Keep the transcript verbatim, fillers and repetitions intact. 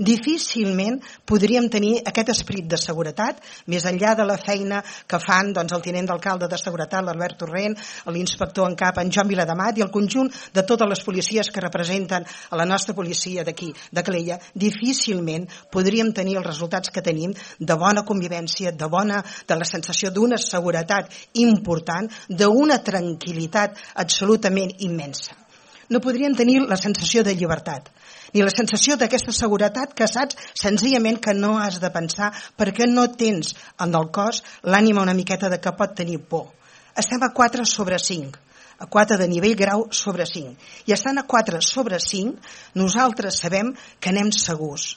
difícilment podríem tenir aquest esperit de seguretat, més enllà de la feina que fan doncs, el tinent d'alcalde de seguretat, l'Albert Torrent, l'inspector en cap, en Joan Viladamat, i el conjunt de totes les policies que representen a la nostra policia d'aquí, de Calella. Difícilment podríem tenir els resultats que tenim de bona convivència, de bona, de la sensació d'una seguretat important, d'una tranquil·litat absolutament immensa. No podríem tenir la sensació de llibertat, ni la sensació d'aquesta seguretat que saps senzillament que no has de pensar perquè no tens en el cos l'ànima una miqueta de que pot tenir por. Estem a quatre sobre cinc, a quatre de nivell grau sobre cinc. I estant a quatre sobre cinc, nosaltres sabem que anem segurs.